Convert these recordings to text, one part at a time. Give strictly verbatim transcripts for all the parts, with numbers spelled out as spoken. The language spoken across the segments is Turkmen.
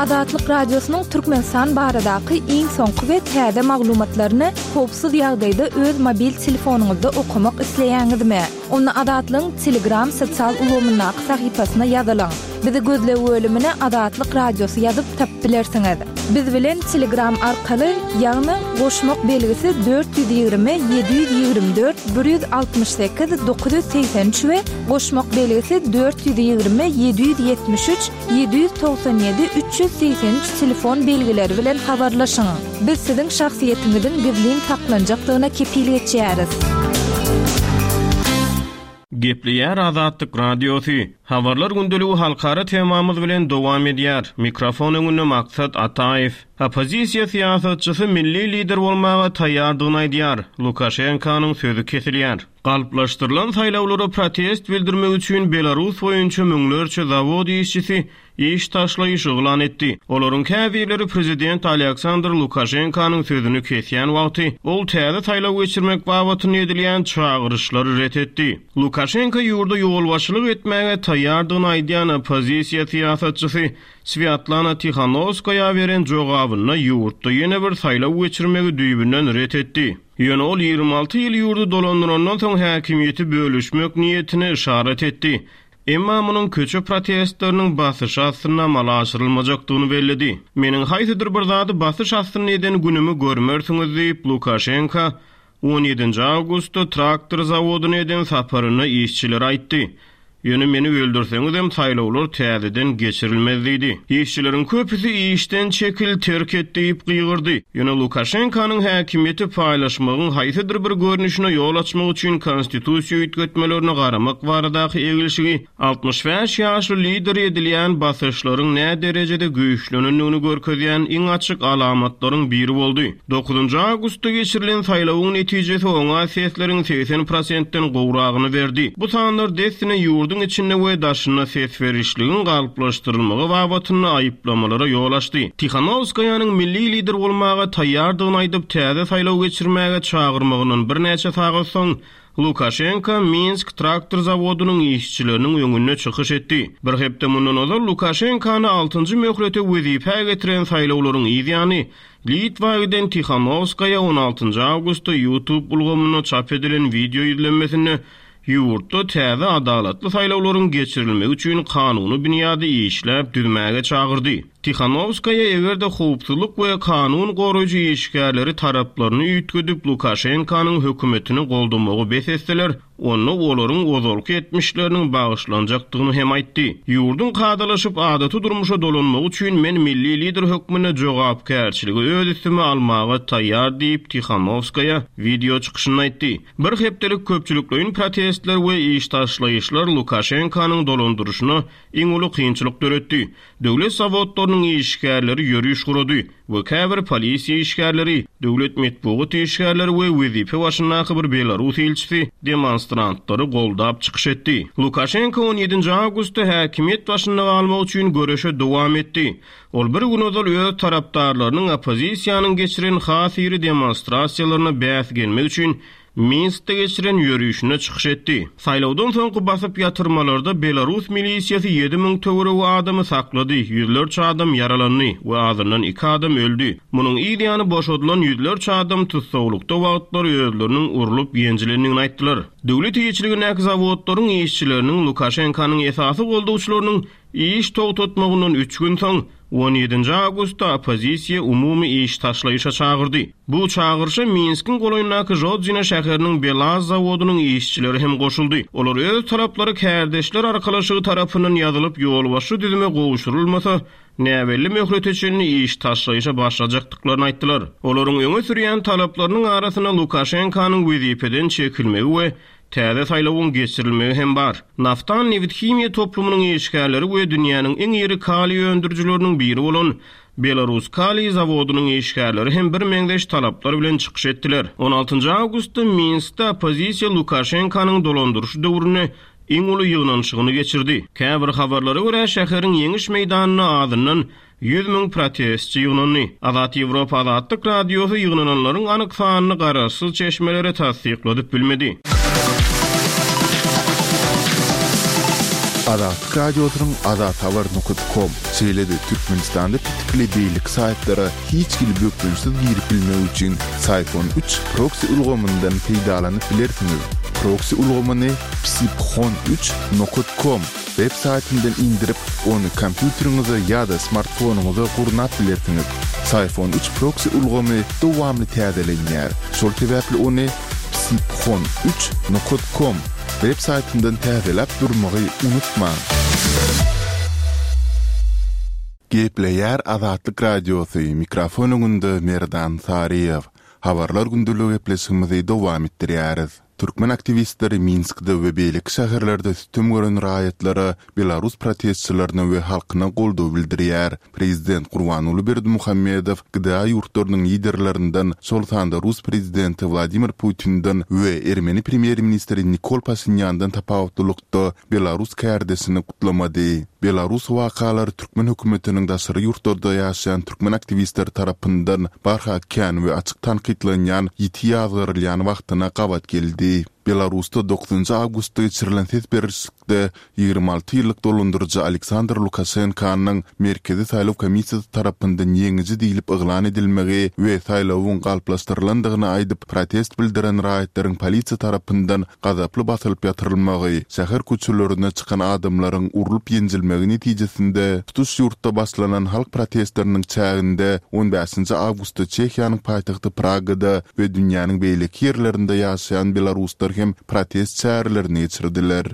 Azatlyk Radiosynyň Türkmenistan baradaky iň soňky we täze maglumatlaryny howpsuz ýagdaýda öz mobil telefonyňyzda okamak isleýäňizmi? Onda Azatlygyň Telegram sosial ulgamyndaky sahypasyna ýazylyň. Bizi gözleg bölümine Azatlyk Radiosy ýazyp tapyp bilersiňiz. Biz bilen Telegram arkaly, ýagny goşmak belgisi dört ýüz ýigrimi ýedi ýüz ýigrimi dört bir ýüz altmyş sekiz dokuz ýüz segsen üç we goşmak belgisi dört ýüz ýigrimi ýedi ýüz ýetmiş üç ýedi ýüz togsan ýedi üç ýüz segsen üç telefon belgileri bilen habarlaşyň. Biz siziň şahsyýetiňiziň gizlin saklanjakdygyna kepil geçýäris. Gepleýär Azatlyk Radiosy. Habarlar gündeligi halkara temamyz bilen dowam edýär. Mikrofon öňünde Maksat Ataýew. Oppozisiýa syýasatçysy milli lider bolmaga taýýardygyny aýdýar. Lukaşenkanyň sözi kesilýär. Galplaşdyrylan saýlawlara protest bildirmek üçin Belarus boýunça müňlerçe zawod işçisi iş taşlaýyş yglan etdi. Olaryň käbirleri prezident Aleksandr Lukaşenkanyň sözüni kesýän wagty, ol täze saýlaw geçirmek babatynda edilýän çagyryşlary ret etdi. Lukaşenka ýurda ýolbaşçylyk etmäge taýýardygyny aýdýan oppozisiýa syýasatçysy Swýatlana Tihanowskaýa beren jogabynda ýurtda ýene bir saýlaw geçirmegi düýbünden ret etdi. Ýöne ol ýigrimi alty ýyl ýurdy dolandyrandan soň häkimiýeti bölüşmek niýetine yşarat etdi. Emma munuň köçe protestleriniň basyşy astynda amala aşyrylmajakdygyny belledi. Meniň haýsydyr bir zady basyş astynda eden günümi görmersiňiz diýip, Lukaşenka on ýedinji awgustda traktor zawodyna eden saparynda işçilere aýtdy. Ýöne meni öldürseňizem saýlawlar täzeden geçirilmez diýdi. Işçileriň köpüsi işden çekil, terk et diýip gygyrdy. Ýöne Lukaşenkanyň häkimiýeti paýlaşmagyň haýsydyr bir görnüşine ýol açmak üçin konstitusiýa üýtgetmelerine garamak baradaky egilşigi altmyş bäş ýaşly lidere edilýän basyşlaryň näderejede güýçlenendigini görkezýän iň açyk alamatlaryň biri boldy. Dokuzynjy awgustda geçirilen saýlawyň netijesi oňa sesleriň segsen prosentden gowragyny berdi. Bu sanlar dessine ýurduň içinde we daşynda ses berişligiň galplaşdyrylmagy babatynda aýyplamalara ýol açdy. Tihanowskaýanyň milli lider bolmaga taýýardygyny aýdyp, täze saýlaw geçirmäge çagyrmagyndan birnäçe sagat soň, Lukaşenka Minsk traktor zawodynyň işçileriniň öňünde çykyş etdi. Bir hepde mundan ozal Lukaşenkany altynjy möhlete wezipä getiren saýlawlaryň yz ýany, Litwa giden Tihanowskaýa on altynjy awgustda YouTube ulgamynda çap edilen wideo ýüzlenmesinde ýurtda täze adalatly saýlawlaryň geçirilmegi üçin kanuny binýady işläp düzmäge çagyrdy. Tihanowskaýa eger-de howpsuzlyk we kanun goraýjy işgärleri taraplaryny üýtgedip Lukaşenkanyň hökümetini goldamagy bes etseler, onda olaryň ozalky etmişleriniň bagyşlanjakdygyny hem aýtdy. Ýurduň kadalaşyp adaty durmuşa dolanmagy üçin men milli lider hökmünde jogapkärçiligi öz üstüme almaga taýýar diýip Tihanowskaýa wideo çykyşynda aýtdy. Bir hepdelik köpçülikleýin protestler we iş taşlaýyşlar Lukaşenkanyň dolandyryşyna iň uly kynçylyk döretdi. Döwlet zawodlarynyň işgärleri ýöriş gurady we käbir polisiýa işgärleri, döwlet metbugat işgärleri we wezipe başyndaky bir belarus ilçisi demonstrantlary goldap çykyş etdi. Lukaşenko on ýedinji awgustda häkimiýet başynda galmak üçin göreşe dowam etdi. Ol bir gün ozal öz tarapdarlarynyň oppozisiýanyň geçiren has iri demonstrasiýalaryna bäs gelmek üçin Minskde geçiren ýörişinde çykyş etdi. Saýlawdan soňky basyp ýatyrmalarda belarus milisiýasy ýedi müň töweregi adamy saklady, ýüzlerçe adam ýaralandy we azyndan iki adam öldi. Munuň yz ýany boşadylan ýüzlerçe adam tussaglykda wagtlary özleriniň urlup ýenjilendigini aýtdylar. Döwlet eýeçiligindäki zawodlaryň işçileriniň Lukaşenkanyň esasy goldawçylarynyň iş togtatmagyndan üç gün soň, on ýedinji awgustda oppozisiýa umumy iş taşlaýyşa çagyrdy. Bu çagyryşa Minskiň golaýyndaky Žodzina şäheriniň Belaz zawodynyň işçileri hem goşuldy. Olar öz talaplary kärdeşler arkalaşygy tarapyndan ýazylyp ýolbaşçy düzüme gowşurylmasa, näbelli möhlete çenli iş taşlaýyşa başlajakdyklaryny aýtdylar. Olaryň öňe sürýän talaplarynyň arasynda Lukaşenkanyň wezipeden çekilmegi we täze saýlawyň geçirilmegi hem bar. Naftan nebit-himiýa toplumynyň işgärleri we dünýäniň iň iri kaliý öndürijileriniň biri bolan Belarus kaliý zawodynyň işgärleri hem birmeňzeş talaplar bilen çykyş etdiler. On altynjy awgustda Minskde oppozisiýa Lukaşenkanyň dolandyryşy döwründe iň uly ýygnanyşygyny geçirdi. Käbir habarlara görä, şäheriň ýeňiş meýdanynda azyndan ýüz müň protestçi ýygnandy. Azat Ýewropa Azatlyk Radiosy ýygnananlaryň anyk sanyny garaşsyz çeşmelere tassykladyp bilmedi. Azatlyk Radiosynyň azathabar nokat kom, şeýle-de Türkmenistanda petikli beýleki saýtlara hiç hili bökdençsiz girip bilmek üçin Syphon üç proksi ulgamyndan peýdalanyp bilersiňiz. Proksi ulgamyny psiphon üç nokat kom web saýtyndan indirip, ony kompýuteriňize ýa-da smartfonyňyza gurnap bilersiňiz. Syphon üç proksi ulgamy dowamly täzelenýär. Şol sebäpli ony psiphon üç nokat kom web saýtyndan täzeläp durmagy unutmaň. Gepleýär Azatlyk Radiosy, mikrofon öňünde Merdan Saryýew. Habarlar gündeligi gepleşigimizi dowam etdirýäris. Türkmen aktiwistleri Minskde we beýleki şäherlerde sütem gören raýatlara, belarus protestçilerine we halkyna goldaw bildirýär. Prezident Gurbanguly Berdimuhamedow G D A ýurtlarynyň liderlerinden, şol sanda rus prezidenti Wladimir Putinden we ermeni premýer-ministri Nikol Paşinýandan tapawutlylykda belarus kärdeşini gutlamady. Belarus wakalary türkmen hökümetiniň daşary ýurtlarda ýaşaýan türkmen aktiwistleri tarapyndan barha kän we açyk tankytlanýan, ýiti ýazgarylýan wagtyna gabat geldi. Belarusda dokuzynjy awgustda geçirilen ses berişlikde ýigrimi alty ýyllyk dolandyryjy Aleksandr Lukaşenkanyň Merkezi saýlaw komissiýasy tarapyndan ýeňiji diýlip yglan edilmegi we saýlawyň galplaşdyrylandygyny aýdyp protest bildiren raýatlaryň polisiýa tarapyndan gazaply basylyp ýatyrylmagy, şäher köçelerine çykan adamlaryň urlup ýenjilmegi netijesinde tutuş ýurtda başlanan halk protestleriniň çäginde on bäşinji awgustda Çehiýanyň paýtagty Pragada we dünýäniň beýleki ýerlerinde ýaşaýan belaruslar hem protest çärelerini geçirdiler.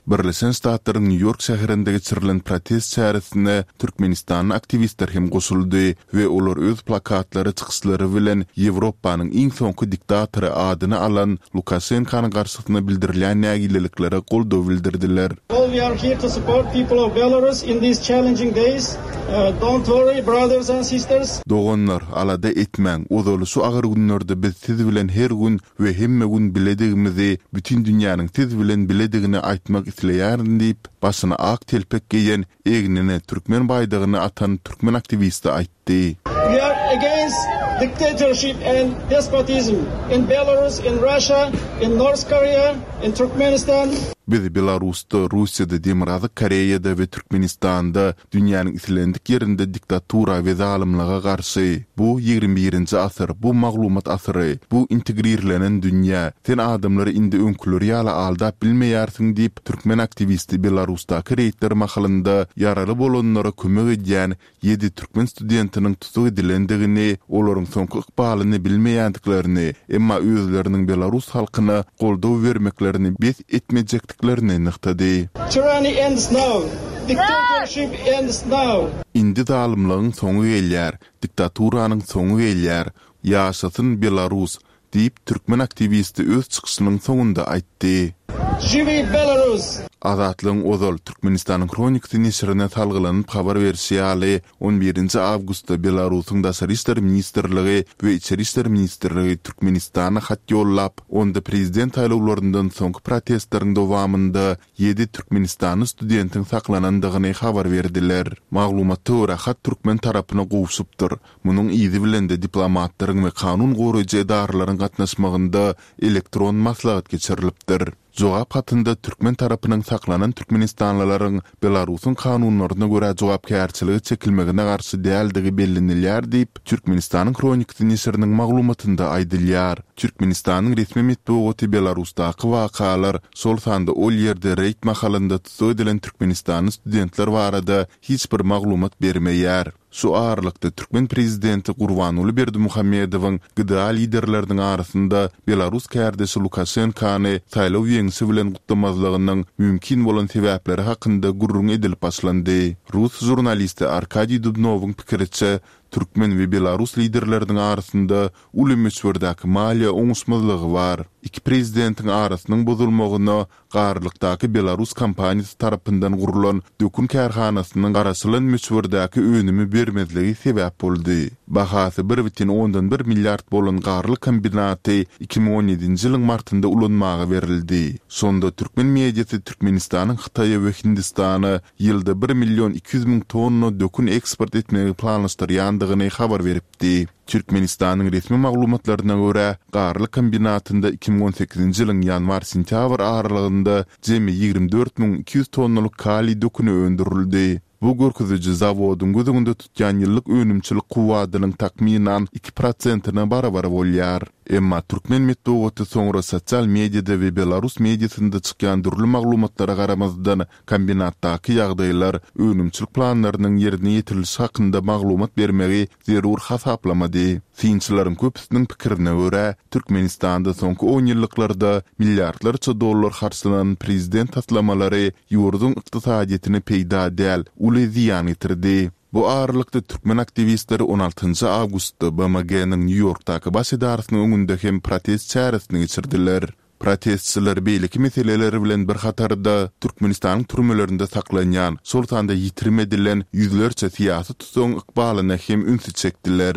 Birleşen Ştatlaryň Nýu-Ýork şäherinde geçirilen protest çäresine Türkmenistanly aktiwistler hem goşuldy we olar öz plakatlary, çykyşlary bilen Ýewropanyň iň soňky diktatory adyny alan Lukaşenkanyň garşysyna bildirilýän nägileliklere goldaw bildirdiler. All we are here to support people of Belarus in these challenging days. Uh, don't worry, brothers and sisters. Doganlar, alada etmäň, ozaly şu agyr günlerde biz siz bilen her gün we hemme gün biledigimizi, bütün dünýäniň siz bilen biledigini aýtmak isleýärin diýip, başyna ak telpek geýen, egnine türkmen baýdagyny atan türkmen aktiwisti aýtdy. We are against dictatorship and despotism in Belarus, in Russia, in North Korea, in Turkmenistan. Biz Belarusda, Russiýada, Demirgazyk Koreýada we Türkmenistanda dünýäniň islendik ýerinde diktatura we zalymlyga garşy. Bu ýigrimi birinji asyr, bu maglumat asyry, bu integrirlenen dünýä. Sen adamlary indi öňküleri ýaly aldap bilmeýärsiň diýip, türkmen aktiwisti Belarusdaky reýdler mahalynda ýaraly bolanlara kömek edýän ýedi türkmen studentiniň tutuk edilendigini, olaryň soňky ykbalyny bilmeýändiklerini, emma özleriniň belarus halkyna goldaw bermeklerini bes etmejekdiklerini nygtady. Tyranny ends now. Dictatorship ends now. Indi zalymlygyň soňy gelýär, diktaturanyň soňy gelýär. Ýaşasyn Belarus diýip türkmen aktiwisti öz çykyşynyň soňunda aýtdy. Žiwi Belarus! Azatlygyň ozal Türkmenistanyň Hronikasy neşirine salgylanyp habar berişi ýaly, on birinji awgustda Belarusyň Daşary işler ministrligi we Içeri işler ministrligi Türkmenistana hat ýollap, onda prezident saýlawlaryndan soňky protestleriň dowamynda ýedi türkmenistanly studentiň saklanandygyny habar berdiler. Maglumata görä hat türkmen tarapyna gowşupdyr. Munuň yzy bilen de diplomatlaryň we kanun goraýjy edaralaryň gatnaşmagynda elektron maslahat geçirilipdir. Jogap hatynda türkmen tarapynyň saklanan türkmenistanlylaryň Belarusyň kanunlaryna görä jogapkärçiligi çekilmegine garşy däldigi bellenilýär diýip, Türkmenistanyň Hronikasy neşiriniň maglumatynda aýdylýar. Türkmenistanyň resmi metbugaty Belarusdaky wakalar, şol sanda ol ýerde reýd mahalynda tutuk edilen türkmenistanly studentler barada hiç bir maglumat bermeýär. Şu aralykda türkmen prezidenti Gurbanguly Berdimuhamedowyň G D A liderleriniň arasynda Belarus kärdeşi Lukaşenkany saýlaw ýeňşi bilen gutlamazlygynyň mümkin bolan sebäpleri hakynda gürrüň edilip başlandy. Rus žurnalisti Arkadiý Dubnowyň pikiriçe, türkmen we belarus liderleriniň arasynda uly möçberdäki maliýe oňuşmazlygy bar. Iki prezidentiň arasynyň bozulmagyna garlykdaky Belarus kompaniýasy tarapyndan gurulan dökün kärhanasynyň garaşylan möçberdäki önümi bermezligi sebäp boldy. Bahasy bir bütin ondan bir milliard bolan garlyk kombinaty iki müň on ýedinji ýylyň martynda ulanmaga berildi. Şonda türkmen mediasy Türkmenistanyň Hytaýa we Hindistana ýylda bir million iki ýüz müň tonna dökün eksport etmegi planlaşdyrýandygyny başlandygyny habar beripdi. Türkmenistanyň resmi maglumatlaryna görä, Garlyk kombinatynda iki müň on sekizinji ýylyň ýanwar-sentýabr aralygynda jemi ýigrimi dört müň iki ýüz tonnalyk kaliý döküni öndürildi. Bu görkeziji zawodyň göz öňünde tutýan ýyllyk önümçilik kuwwadynyň takmynan iki prosentine barabar bolýar. Emma türkmen metbugaty soňra sosial mediada we belarus mediasynda çykýan dürli maglumatlara garamazdan, kombinatdaky ýagdaýlar, önümçilik planlarynyň ýerine ýetirilişi hakynda maglumat bermegi zerur hasaplamady. Synçylaryň köpüsiniň pikirine görä, Türkmenistanda soňky onýyllyklarda milliardlarça dollar harçlanan prezident taslamalary ýurduň ykdysadyýetine peýda däl, uly zyýan getirdi. Bu aralykda türkmen aktiwistleri on altynjy awgustda B M G-niň Nýu-Ýorkdaky baş edarasynyň öňünde hem protest çäresini geçirdiler. Protestçiler beýleki meseleler bilen bir hatarda Türkmenistanyň türmelerinde saklanýan, şol sanda ýitirim edilen ýüzlerçe syýasy tutuň ykbalyna hem ünsi çekdiler.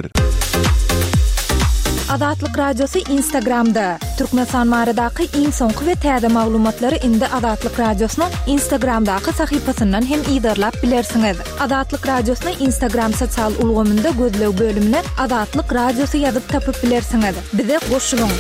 Azatlyk Radiosy Instagramda. Türkmenistan baradaky iň soňky we täze maglumatlary indi Azatlyk Radiosynyň Instagramdaky sahypasyndan hem yzarlap bilersiňiz. Azatlyk Radiosyny Instagram sosial ulgamynda gözleg bölümine Azatlyk Radiosy ýazyp tapyp bilersiňiz. Bize goşulyň.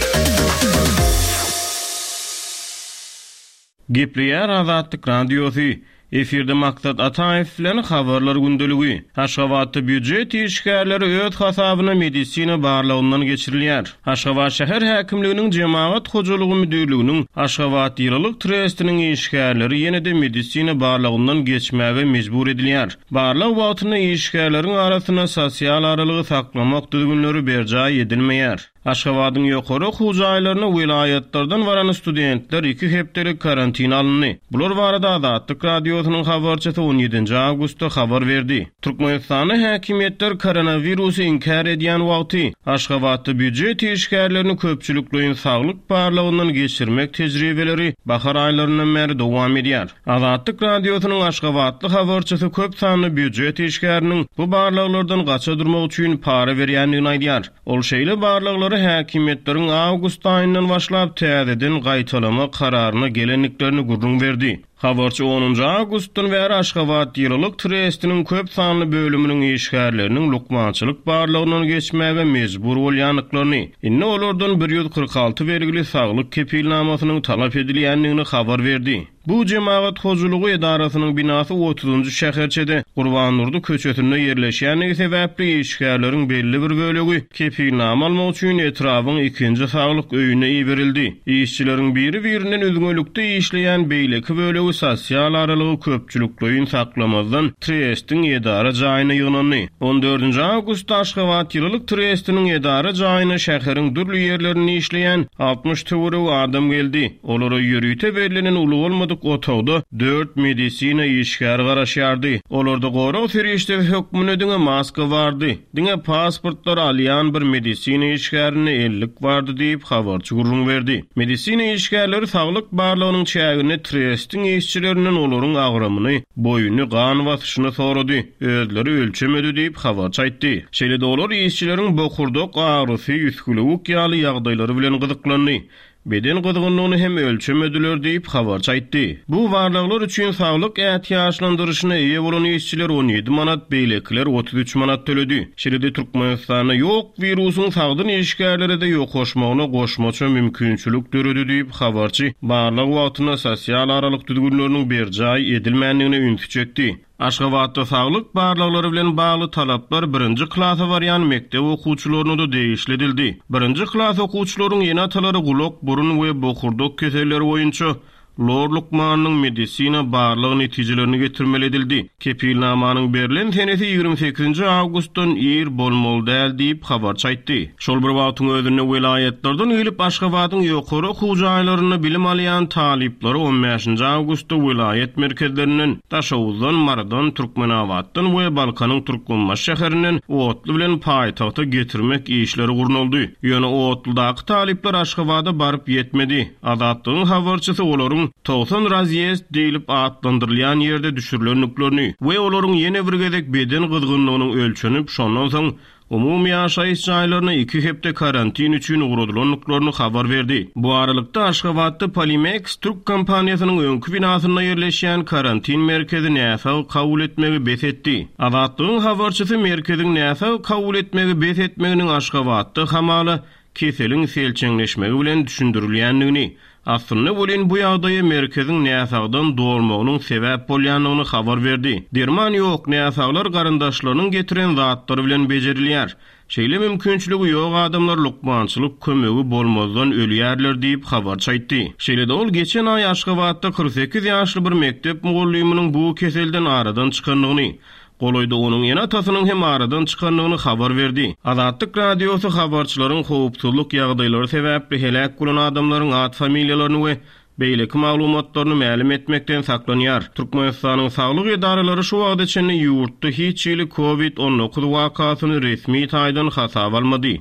Gepleýär Azatlyk Radiosy. Efirde Maksat Ataýew bilen habarlar gündeligi. Aşgabatda býujet işgärleri öz hasabyna medisina barlagyndan geçirilýär. Aşgabat şäher häkimliginiň Jemagat hojalygy müdirliginiň Aşgabat ýylylyk trestiniň işgärleri ýene-de medisina barlagyndan geçmäge mejbur edilýär. Barlag wagtynda işgärleriň arasynda sosial aralygy saklamak düzgünleri berjaý edilmeýär. Aşgabadyň ýokary okuw jaýlaryna welaýatlardan baran studentler iki hepdelik karantina alyndy. Bular barada Azatlyk Radiosynyň habarçysy on ýedinji awgustda habar berdi. Türkmenistanda häkimiýetler koronawirusy inkär edýän wagty Aşgabatda býujet işgärlerini köpçülikleýin saglyk barlagyndan geçirmek tejribeleri bahar aýlaryndan bäri dowam edýär. Azatlyk Radiosynyň Aşgabatly habarçysy köp sanly býujet işgäriniň bu barlaglardan gaça durmak üçin para berýändigini aýdýar. Ol şeýle barlaglary häkimiýetleriň awgust aýyndan başlap täzeden gaýtalama kararyna gelendiklerini gürrüň berdi. Habarçy onunjy awgustdan bäri Aşgabat ýylylyk trestiniň köp sanly bölüminiň işgärleriniň lukmançylyk barlagyndan geçmäge mejbur bolýandyklaryny, indi olardan bir ýüz kyrk alty belgili saglyk kepilnamasynyň talap edilýändigini habar berdi. Bu jemagat hojalygy edarasynyň binasy otuzunjy şäherçede Gurbandurdy köçesinde ýerleşýändigi sebäpli işgärleriň belli bir bölegi kepilnama almak üçin etrabyň ikinji saglyk öýüne iberildi. Işçileriň biri-birinden üzňelikde işleýän beýleki bölegi sosial aralygy köpçülikleýin saklamazdan trestiň edara jaýyna ýygnandy. On dördünji awgustda Aşgabat ýylylyk trestiniň edara jaýyna şäheriň dürli ýerlerinde işleýän altmyş töweregi adam geldi. Olara ýörite bellenen uly bolmadyk otagda dört medisina işgäri garaşýardy. Olarda gorag serişdesi hökmünde diňe maska bardy. Diňe pasportlar alýan bir medisina işgärine ellik bardy diýip habarçy gürrüň berdi. Medisina işgärleri saglyk barlagynyň çäginde trestiň işçilerinden olaryň agramyny, boýuny, gan basyşyny sorady. Özleri ölçemedi diýip habarçy aýtdy. Şeýle-de olar işçileriň bokurdak agrysy, üsgülewük ýaly ýagdaýlary bilen gyzyklandy. Beden gyzgynlygyny hem ölçemediler diýip habarçy aýtdy. Bu barlaglar üçin saglyk ätiýaçlandyryşyna eýe bolan işçiler on ýedi manat, beýlekiler otuz üç manat töledi. Şeýle-de Türkmenistanda ýok wirusyň sagdyn işgärlere de ýokaşmagyna goşmaça mümkinçilik döredi diýip habarçy barlag wagtynda sosial aralyk düzgünleriniň berjaý edilmändigine ünsi çekdi. Aşgabatda saglyk barlaglary bilen bagly talaplar birinji klasa barýan mekdep okuwçylaryna da degişli edildi. Birinji klas okuwçylaryň ene-atalary gulak, burun we bokurdak keselleri boýunça lor lukmanynyň medisina barlag netijelerini getirmeli edildi. Kepilnamanyň berlen senesi ýigrimi sekizinji awgustdan ir bolmaly däl diýip habarçy aýtdy. Şol bir wagtyň özünde welaýatlardan gelip Aşgabadyň ýokary okuw jaýlarynda bilim alýan talyplary on bäşinji awgustda welaýat merkezlerinden, Daşoguzdan, Marydan, Türkmenabatdan we Balkanyň Türkmenbaşy şäherinden otly bilen paýtagta getirmek işleri gurnaldy. Ýöne otludaky talyplar Aşgabada baryp ýetmedi. Azatlygyň habarçysy olaryň Aşgabadyň togsan razýezd diýlip atlandyrylýan ýerde düşürilendiklerini we olaryň ýene bir gezek beden gyzgynlygynyň ölçenip, şondan soň umumy ýaşaýyş jaýlaryna iki hepde karantin üçin ugradylandyklaryny habar berdi. Bu aralykda Aşgabatda Polimex Türk kompaniýasynyň öňki binasynda ýerleşýän karantin merkezi näsag kabul etmegi bes etdi. Azatlygyň habarçysy merkeziň näsag kabul etmegi bes etmeginiň Aşgabatda hamala keseliň selçeňleşmegi bilen düşündirilýändigini, aslynda welin bu ýagdaýa merkeziň näsagdan dolmagynyň sebäp bolýandygyny habar berdi. Derman ýok, näsaglar garyndaşlarynyň getiren zatlary bilen bejerilýär. Şeýle mümkinçiligi ýok adamlar lukmançylyk kömegi bolmazdan ölýärler diýip habarçy aýtdy. Şeýle-de ol geçen aý Aşgabatda kyrk sekiz ýaşly bir mekdep mugallymynyň bu keselden aradan çykandygyny, golaýda onuň ene-atasynyň hem aradan çykandygyny habar berdi. Azatlyk Radiosy habarçylaryň howpsuzlyk ýagdaýlary sebäpli heläk bolan adamlaryň ad familiýalaryny we beýleki maglumatlaryny mälim etmekden saklanýar. Türkmenistanyň saglyk edaralary şu wagta çenli ýurtda hiç hili COVID on dokuz wakasyny resmi taýdan hasaba almady.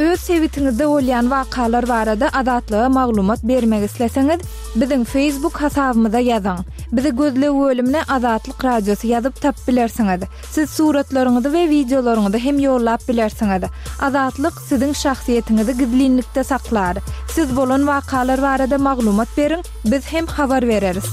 Öz sebitiňizde bolýan wakalar barada Azatlyga maglumat bermek isleseňiz, biziň Facebook hasabymyza ýazyň. Bizi gözleg bölümine Azatlyk Radiosy ýazyp tap bilersiňiz. Siz suratlaryňyzy we wideolaryňyzy hem ýollap bilersiňiz. Azatlyk siziň şahsyýetiňizi gizlinlikde saklar. Siz bolan wakalar barada maglumat beriň, biz hem habar bereris.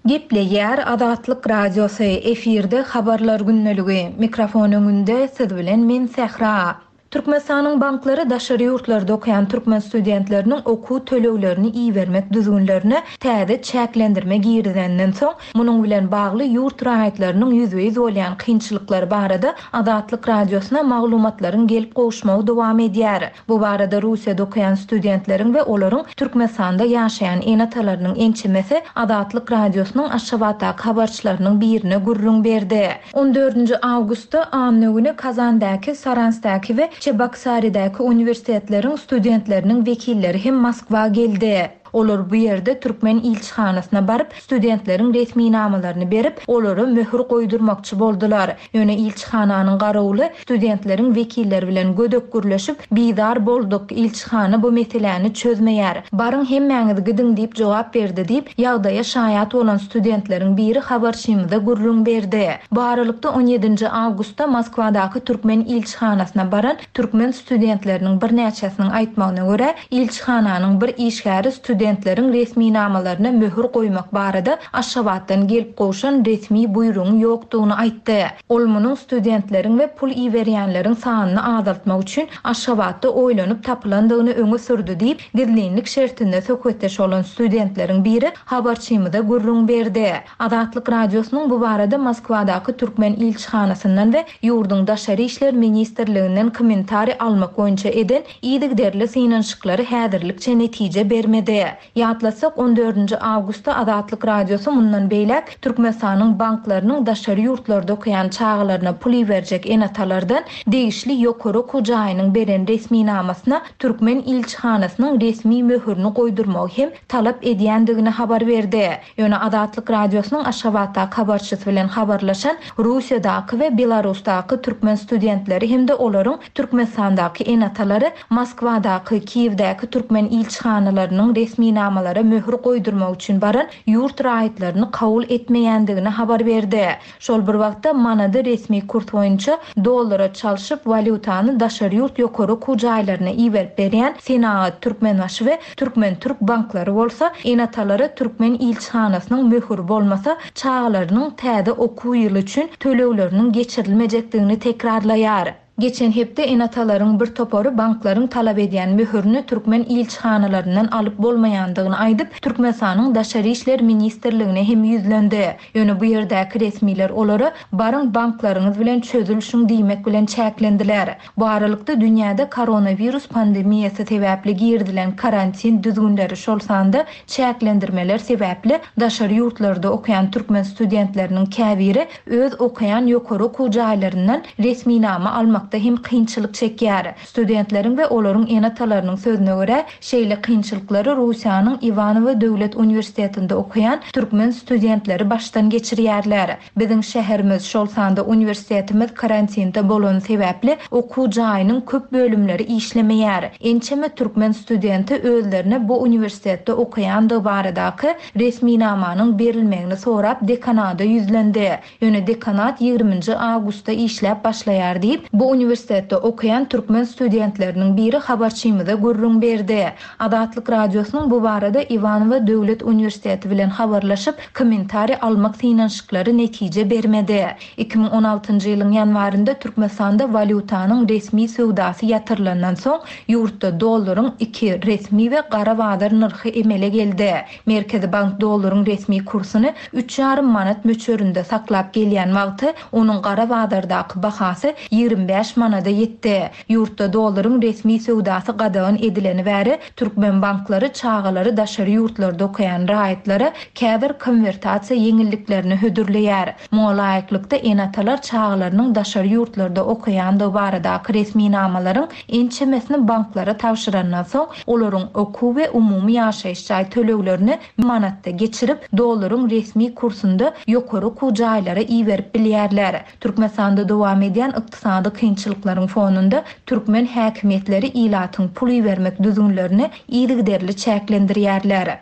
Gepleýär Azatlyk Radiosy, efirde habarlar gündeligi. Mikrofon öňünde siz bilen men Sähra. Türkmenistanyň banklary daşary ýurtlarda okaýan türkmen studentleriniň okuw töleglerini ibermek düzgünlerine täze çäklendirme girizenden soň, munuň bilen bagly ýurt raýatlarynyň ýüzbe-ýüz bolýan kynçylyklary barada Azatlyk Radiosyna maglumatlaryň gelip gowuşmagy dowam edýär. Bu barada Russiýada okaýan studentleriň we olaryň Türkmenistanda ýaşaýan ene-atalarynyň ençemesi Azatlyk Radiosynyň Aşgabatdaky habarçylarynyň birine gürrüň berdi. on dördünji awgustda anna güni Kazandaky, Saransdaky we Çebaksaridäki uniwersitetleriň studentleriniň wekilleri hem Moskwa geldi. Olar bu ýerde türkmen ilçihanasyna baryp, studentleriň resminamalaryny berip, olara möhür goýdurmakçy boldular. Ýöne ilçihananyň garawuly studentleriň wekilleri bilen gödek gürleşip, bizar bolduk, ilçihana bu meseläni çözmeýär. Baryň hemmäňiz gidiň diýip jogap berdi diýip, ýagdaýa şaýat bolan studentleriň biri habarçymyza gürrüň berdi. Bu aralykda on ýedinji awgustda Moskwadaky türkmen ilçihanasyna baran türkmen studentleriniň birnäçesiniň aýtmagyna görä, ilçihananyň bir işgäri studentleriň resminamalaryna möhür goýmak barada Aşgabatdan gelip gowşan resmi buýrugyň ýokdugyny aýtdy. Ol munuň studentleriň we pul iberýänleriň sanyny azaltmak üçin Aşgabatda oýlanyp tapylandygyny öňe sürdi diýip, gizlinlik şertinde söhbetdeş bolan studentleriň biri habarçymyza gürrüň berdi. Azatlyk Radiosynyň bu barada Moskwadaky türkmen ilçihanasyndan we ýurduň Daşary işler ministrliginden kommentariý almak boýunça eden yzygiderli synanyşyklary häzirlikçe netije bermedi. Ýatlasak, on dördünji awgustda Azatlyk Radiosy mundan beýläk Türkmenistanyň banklarynyň daşary ýurtlarda okaýan çagalaryna pul iberjek ene-atalardan degişli ýokary okuw jaýynyň beren resminamasyna türkmen ilçihanasynyň resmi möhürini goýdurmagy hem talap edýändigini habar berdi. Ýöne Azatlyk Radiosynyň Aşgabatdaky habarçysy bilen habarlaşan Russiýadaky we Belarusdaky türkmen studentleri hem-de olaryň Türkmenistandaky ene-atalary Moskwadaky, Kiýewdäki türkmen ilçihanalarynyň resminamalara möhür goýdurmak üçin baran ýurt raýatlaryny kabul etmeýändigini habar berdi. Şol bir wagtda manady resmi kurs boýunça dollara çalşyp walýutany daşary ýurt ýokary okuw jaýlaryna iberip berýän Senagat Türkmenbaşy we Türkmen Türk banklary bolsa ene-atalara türkmen ilçihanasynyň möhüri bolmasa çagalarynyň täze okuw ýyly üçin tölegleriniň geçirilmejekdigini tekrarlaýar. Geçen hepde ene-atalaryň bir topary banklaryň talap edýän möhürini türkmen ilçihanalaryndan alyp bolmaýandygyny aýdyp, Türkmenistanyň Daşary işler ministrligine hem ýüzlendi. Ýöne bu ýerdäki resmiler olara baryň banklaryňyz bilen çözülişiň diýmek bilen çäklendiler. Bu aralykda dünýäde koronawirus pandemiýasy sebäpli girizilen karantin düzgünleri şol sanda çäklendirmeler sebäpli daşary ýurtlarda okaýan türkmen studentleriniň käbiri öz okaýan ýokary okuw jaýlaryndan resminama almak almakda hem kynçylyk çekýär. Studentleriň we olaryň ene-atalarynyň sözüne görä, şeýle kynçylyklary Russiýanyň Iwanowo döwlet uniwersitetinde okaýan türkmen studentleri başdan geçirýärler. Biziň şäherimiz, şol sanda uniwersitetimiz karantinde bolany sebäpli okuw jaýynyň köp bölümleri işlemeýär. Ençeme türkmen studenti özlerine bu uniwersitetde okaýandygy baradaky resminamanyň berilmegini sorap dekanada ýüzlendi. Ýöne dekanat ýigriminji awgustda işläp başlaýar diýip, bu uniwersitetde okaýan türkmen studentleriniň biri habarçymyza gürrüň berdi. Azatlyk Radiosynyň bu barada Iwanowo döwlet uniwersiteti bilen habarlaşyp, kommentariý almak synanyşyklary netije bermedi. Iki müň on altynjy ýylyň ýanwarynda Türkmenistanda walýutanyň resmi söwdasy ýatyrylandan soň ýurtda dollaryň iki resmi we gara bazar nyrhy emele geldi. Merkezi bank dollaryň resmi kursuny üç ýarym manat möçberinde saklap gelýän wagty onuň gara bazardaky bahasy ýigrimi bäş manada ýetdi. Ýurtda dollaryň resmi söwdasy gadagan edileni bäri türkmen banklary çagalary daşary ýurtlarda okaýan raýatlara käbir konwertasiýa ýeňilliklerini hödürleýär. Muňa laýyklykda ene-atalar çagalarynyň daşary ýurtlarda okaýandygy baradaky resminamalaryň ençemesini banklara tabşyrandan soň olaryň okuw we umumy ýaşaýyş jaý töleglerini manatda geçirip, dollaryň resmi kursunda ýokary okuw jaýlara iberip bilýärler. Türkmenistanda dowam edýän ykdysady kynçylyklaryň fonunda türkmen häkimiýetleri ilatyň pul ibermek düzgünlerini yzygiderli çäklendirýärler.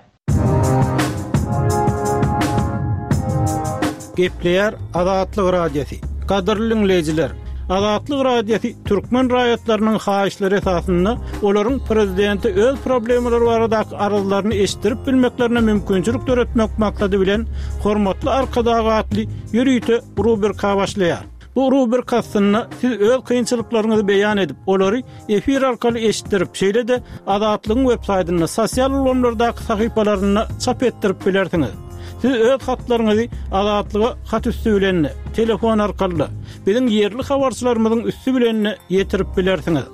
Gepleýär Azatlyk Radiosy. Gadyrly dinleýjiler, Azatlyk Radiosy türkmen raýatlarynyň haýyşlary esasynda olaryň prezidenti öz problemalary baradaky arzlaryny eşitdirip bilmeklerine mümkinçilik döretmek maksady bilen Hormatly Arkadag atly ýörite rubrika başlaýar. Bu rubrika aslynda siz öz kynçylyklaryňyzy beýan edip, olary efir arkaly eşitdirip, şeýle-de Azatlygyň web saýtynda, sosial ulgamlardaky sahypalarynda çap etdirip bilersiňiz. Siz öz hatlaryňyzy Azatlyga hat üstü bilen, telefon arkaly, biziň ýerli habarçylarymyzyň üstü bilen ýetirip bilersiňiz.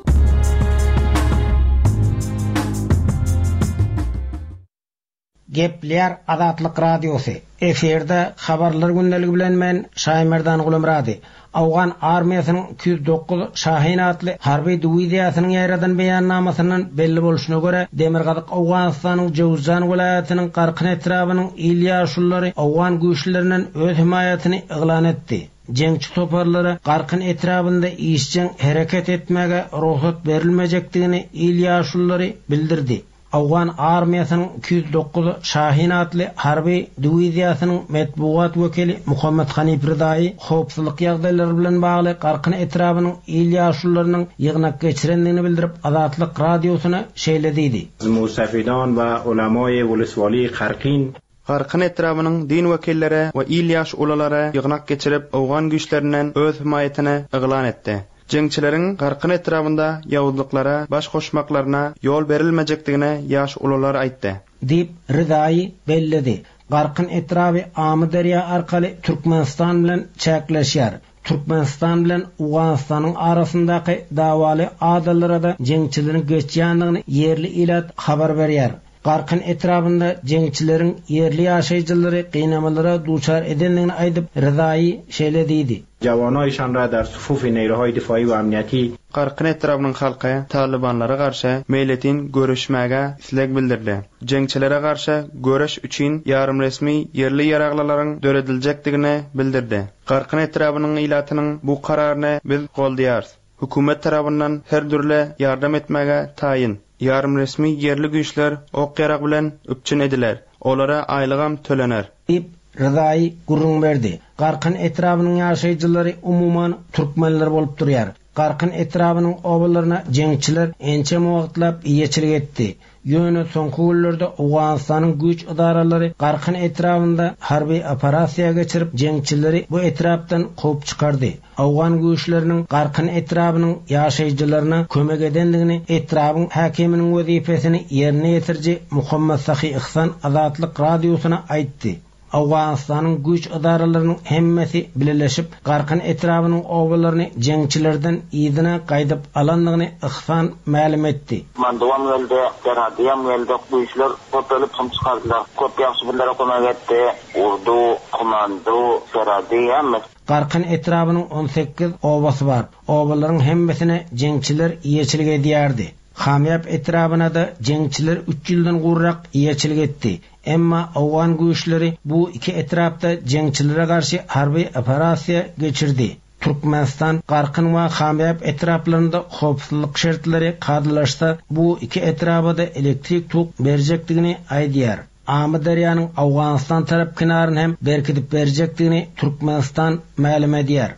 Gepleýär Azatlyk Radiosy. Efirde habarlar gündeligi bilen men Şaýmerdan Gulumrady. Awgan armiýasynyň iki ýüz dokuz Şahin atly harby diwiziýasynyň ýaýradan beýannamasyndan belli bolşuna görä, Demirgazyk Owganystanyň Jowzjan welaýatynyň Garkyn etrabynyň il ýaşululary Owgan güýçlerinden öz himaýatyny yglan etdi. Jeňçi toparlara Garkyn etrabynda işjeň hereket etmäge rugsat berilmejekdigini il ýaşululary bildirdi. Awgan armiýasynyň iki ýüz dokuz Şahin atly harby diwiziýasynyň metbugat wekili Muhammed Hanif Rıdaýy howpsuzlyk ýagdaýlary bilen bagly Garkyn etrabynyň il ýaşulularynyň ýygnak geçirendigini bildirip Azatlyk Radiosyna şeýle diýdi. Musafidan we ulamay Woleswali Garkyn Garkyn etrabynyň din wekilleri we il ýaş ulalary ýygnak geçirip Owgan güýçlerinden öz himaýatyny yglan etdi. Jeňçileriň Garkyn etrabynda ýawuzlyklara baş goşmaklaryna ýol berilmejekdigine ýaş ulalar aýtdy. Diýip Rıdaýy belledi. Garkyn etraby Amyderýa arkaly Türkmenistan bilen çäkleşýär. Türkmenistan bilen Owganystanyň arasyndaky dawaly adalara da jeňçileriň geçýändigini ýerli ilat habar berýär. Garkyn etrabynda jeňçileriň ýerli ýaşaýjylary gynamalara duçar edendigini aýdyp Rıdaýy şeýle diýdi. Jawanayşan ra dar sufufi neýrohay difaýy we amniýeti Garkyn etrabynyň halky Talibanlara garşy meýletin görüşmäge isleg bildirdi. Jeňçilere garşy görüş üçin ýarym resmi ýerli ýaraglylaryň dörediljekdigini bildirdi. Garkyn etrabynyň ilatynyň bu kararyny biz goldaýarys. Hükümet tarapyndan her dürli ýardam etmäge taýyn. Ýarym resmi ýerli güýçler ok ýarag bilen üpjün ediler. Olara aýlygam tölener. Diýip Rıdaýy gürrüň berdi. Garkyn etrabynyň ýaşaýjylary umuman türkmenler bolup durýar. Garkyn etrabynyň obalaryna jeňçiler ençeme wagtlap eýeçilik etdi. Ýöne soňky günlerde Owganystanyň güýç edaralary Garkyn etrabynda harby operasiýa geçirip jeňçileri bu etrapdan kowup çykardy. Owgan güýçleriniň Garkyn etrabynyň ýaşaýjylaryna kömek edendigini etrabyň häkiminiň wezipesini ýerine ýetiriji Muhammed Sahi Ihsan Azatlyk Radiosyna aýtdy. Owganystanyň güýç edaralarynyň hemmesi bileleşip Garkyn etrabynyň obalaryny jeňçilerden yzyna gaýdyp alandygyny Ihsan mälim etdi. Manduam geldi, Deradiyam geldi, güýçler köpelip hem çykardylar. Köp ýagşy birlere kömek etdi. Urdu, komando, Seradi hemmesi. Garkyn etrabynyň on sekiz obasy bar. Obalaryň hemmesine jeňçiler eýeçilik edýärdi. Hamýap etrabynada jeňçiler üç ýyldan gowrak eýeçilik etdi. Emma owgan güýçleri bu iki etrapda jeňçilere garşy harby operasiýa geçirdi. Türkmenistan Garkyn we Hamýap etraplarynda howpsuzlyk şertleri kadalaşsa, bu iki etrabada elektrik tok berjekdigini aýdýar. Amyderýanyň Owganystan tarap kenaryny hem berkidip berjekdigini Türkmenistan mälim edýär.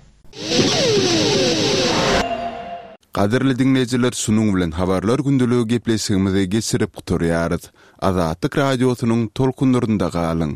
Gadyrly diňleýjiler, şunuň bilen Habarlar gündeligi gepleşigimizi geçirip gutarýarys. Azatlyk Radiosynyň tolkunlarynda galyň!